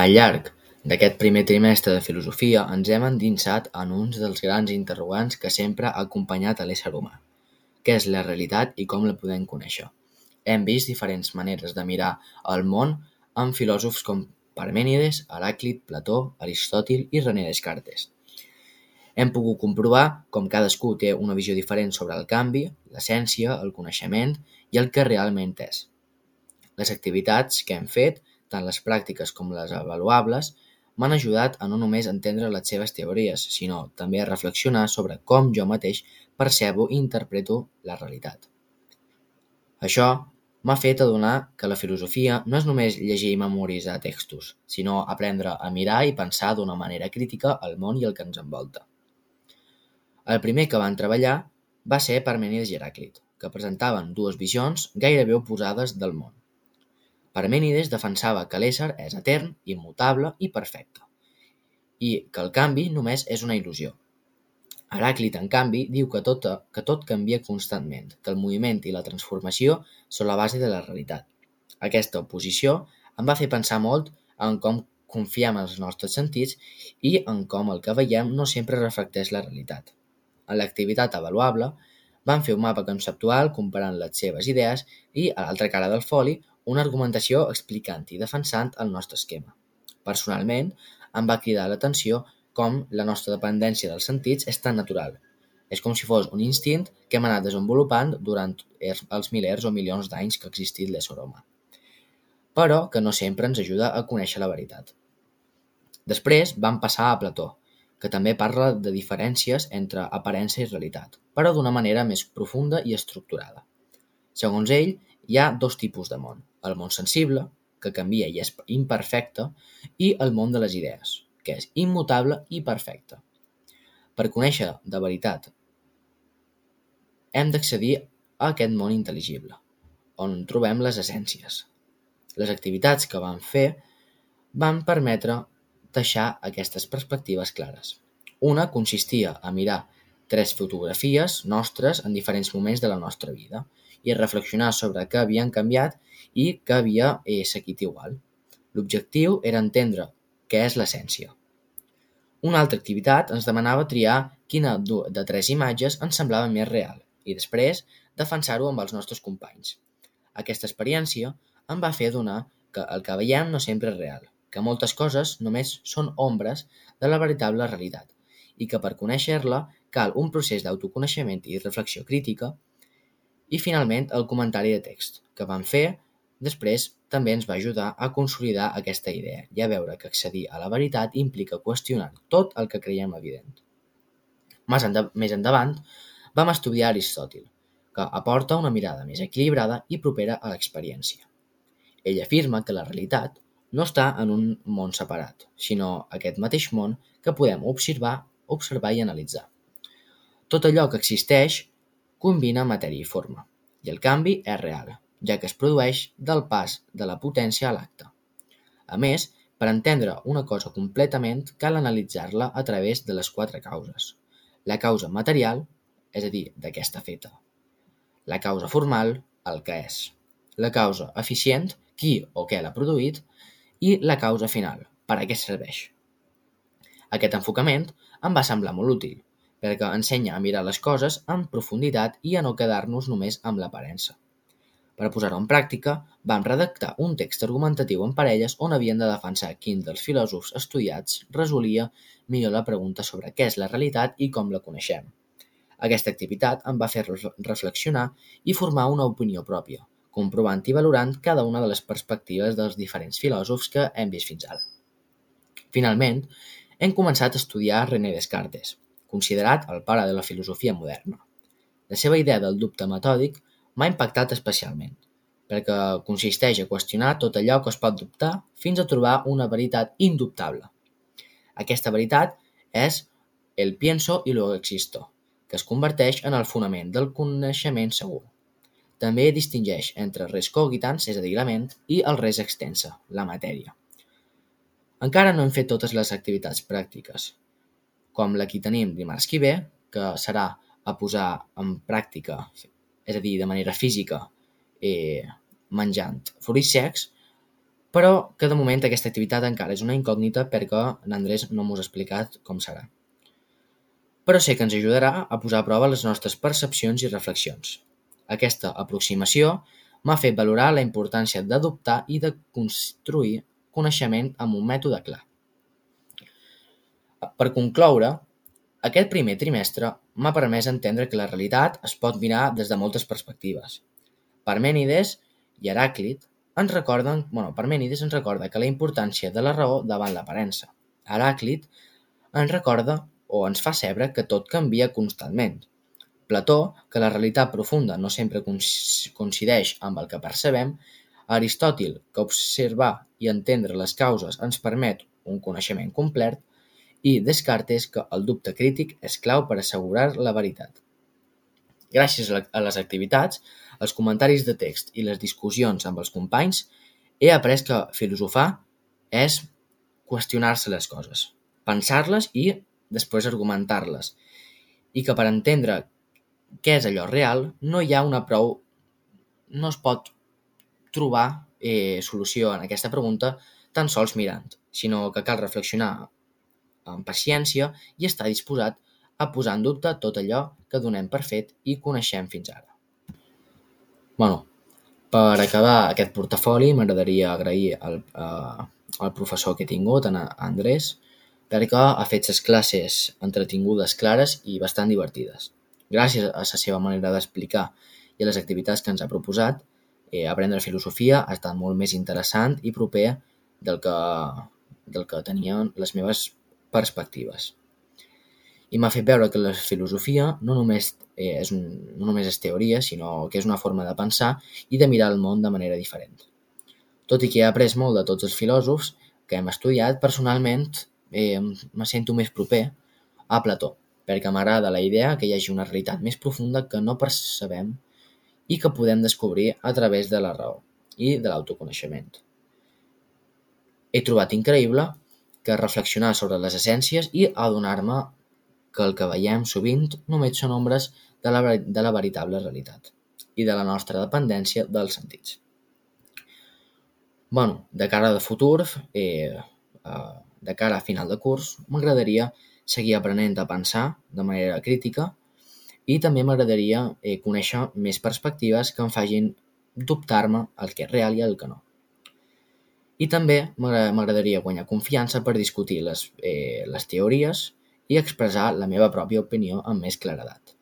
Al llarg d'aquest primer trimestre de filosofia ens hem endinsat en un dels grans interrogants que sempre ha acompanyat a l'ésser humà. Què és la realitat i com la podem conèixer? Hem vist diferents maneres de mirar el món amb filòsofs com Parmènides, Heràclit, Plató, Aristòtil i René Descartes. Hem pogut comprovar com cadascú té una visió diferent sobre el canvi, l'essència, el coneixement i el que realment és. Les activitats que hem fet, tant les pràctiques com les avaluables, m'han ajudat a no només entendre les seves teories, sinó també a reflexionar sobre com jo mateix percebo i interpreto la realitat. Això m'ha fet adonar que la filosofia no és només llegir i memoritzar textos, sinó aprendre a mirar i pensar d'una manera crítica el món i el que ens envolta. El primer que van treballar va ser Parmènides i Heràclit, que presentaven dues visions gairebé oposades del món. Parmènides defensava que l'ésser és etern, immutable i perfecte, i que el canvi només és una il·lusió. Heràclit, en canvi, diu que tot canvia constantment, que el moviment i la transformació són la base de la realitat. Aquesta oposició em va fer pensar molt en com confiem en els nostres sentits i en com el que veiem no sempre reflecteix la realitat. En l'activitat avaluable vam fer un mapa conceptual comparant les seves idees i, a l'altra cara del foli, una argumentació explicant i defensant el nostre esquema. Personalment, em va cridar l'atenció com la nostra dependència dels sentits és tan natural. És com si fos un instint que hem anat desenvolupant durant els milers o milions d'anys que ha existit l'ésser humà, però que no sempre ens ajuda a conèixer la veritat. Després vam passar a Plató, que també parla de diferències entre aparença i realitat, però d'una manera més profunda i estructurada. Segons ell, hi ha dos tipus de món: el món sensible, que canvia i és imperfecte, i el món de les idees, que és immutable i perfecte. Per conèixer de veritat, hem d'accedir a aquest món intel·ligible, on trobem les essències. Les activitats que vam fer van permetre deixar aquestes perspectives clares. Una consistia a mirar 3 fotografies nostres en diferents moments de la nostra vida i reflexionar sobre què havien canviat i què havia seguit igual. L'objectiu era entendre què és l'essència. Una altra activitat ens demanava triar quina de 3 imatges ens semblava més real i després defensar-ho amb els nostres companys. Aquesta experiència em va fer adonar que el que veiem no sempre és real, que moltes coses només són ombres de la veritable realitat i que per conèixer-la cal un procés d'autoconeixement i reflexió crítica. I finalment el comentari de text que vam fer després també ens va ajudar a consolidar aquesta idea i a veure que accedir a la veritat implica qüestionar tot el que creiem evident. Més endavant vam estudiar Aristòtil, que aporta una mirada més equilibrada i propera a l'experiència. Ell afirma que la realitat no està en un món separat, sinó aquest mateix món que podem observar i analitzar. Tot allò que existeix combina matèria i forma, i el canvi és real, ja que es produeix del pas de la potència a l'acte. A més, per entendre una cosa completament cal analitzar-la a través de les 4 causes. La causa material, és a dir, de què està feta. La causa formal, el que és. La causa eficient, qui o què l'ha produït, i la causa final, per a què serveix. Aquest enfocament em va semblar molt útil, perquè ensenya a mirar les coses en profunditat i a no quedar-nos només amb l'aparença. Per posar-ho en pràctica, vam redactar un text argumentatiu en parelles on havien de defensar quin dels filòsofs estudiats resolia millor la pregunta sobre què és la realitat i com la coneixem. Aquesta activitat em va fer reflexionar i formar una opinió pròpia, comprovant i valorant cada una de les perspectives dels diferents filòsofs que hem vist fins ara. Finalment, hem començat a estudiar René Descartes, considerat el pare de la filosofia moderna. La seva idea del dubte metòdic m'ha impactat especialment, perquè consisteix a qüestionar tot allò que es pot dubtar fins a trobar una veritat indubtable. Aquesta veritat és el pienso y luego existo, que es converteix en el fonament del coneixement segur. També distingeix entre res cogitans, és a dir, la ment, i el res extensa, la matèria. Encara no hem fet totes les activitats pràctiques, com la que tenim dimarts que ve, que serà a posar en pràctica, és a dir, de manera física, menjant fruits secs, però que de moment aquesta activitat encara és una incògnita perquè l'Andrés no m'ho ha explicat com serà. Però sé que ens ajudarà a posar a prova les nostres percepcions i reflexions. Aquesta aproximació m'ha fet valorar la importància d'adoptar i de construir coneixement amb un mètode clar. Per concloure, aquest primer trimestre m'ha permès entendre que la realitat es pot mirar des de moltes perspectives. Parmènides i Heràclit Parmènides ens recorda que la importància de la raó davant l'aparença. Heràclit ens recorda o ens fa saber que tot canvia constantment. Plató, que la realitat profunda no sempre coincideix amb el que percebem. Aristòtil, que observar i entendre les causes ens permet un coneixement complet. I Descartes, que el dubte crític és clau per assegurar la veritat. Gràcies a les activitats, els comentaris de text i les discussions amb els companys, he après que filosofar és qüestionar-se les coses, pensar-les i després argumentar-les, i que per entendre què és allò real no es pot trobar solució en aquesta pregunta tan sols mirant, sinó que cal reflexionar amb paciència i estar disposat a posar en dubte tot allò que donem per fet i coneixem fins ara. Per acabar aquest portafoli m'agradaria agrair al professor que he tingut, a Andrés, perquè ha fet les classes entretingudes, clares i bastant divertides. Gràcies a la seva manera d'explicar i a les activitats que ens ha proposat, aprendre filosofia ha estat molt més interessant i proper del que tenien les meves perspectives. I m'ha fet veure que la filosofia no només és teoria, sinó que és una forma de pensar i de mirar el món de manera diferent. Tot i que he après molt de tots els filòsofs que hem estudiat, personalment me sento més proper a Plató, perquè m'agrada la idea que hi hagi una realitat més profunda que no percebem i que podem descobrir a través de la raó i de l'autoconeixement. He trobat increïble que reflexionar sobre les essències i adonar-me que el que veiem sovint només són ombres de la veritable realitat i de la nostra dependència dels sentits. De cara de futur, de cara a final de curs, m'agradaria seguir aprenent a pensar de manera crítica i també m'agradaria conèixer més perspectives que em facin dubtar-me el que és real i el que no. I també m'agradaria guanyar confiança per discutir les teories i expressar la meva pròpia opinió amb més claredat.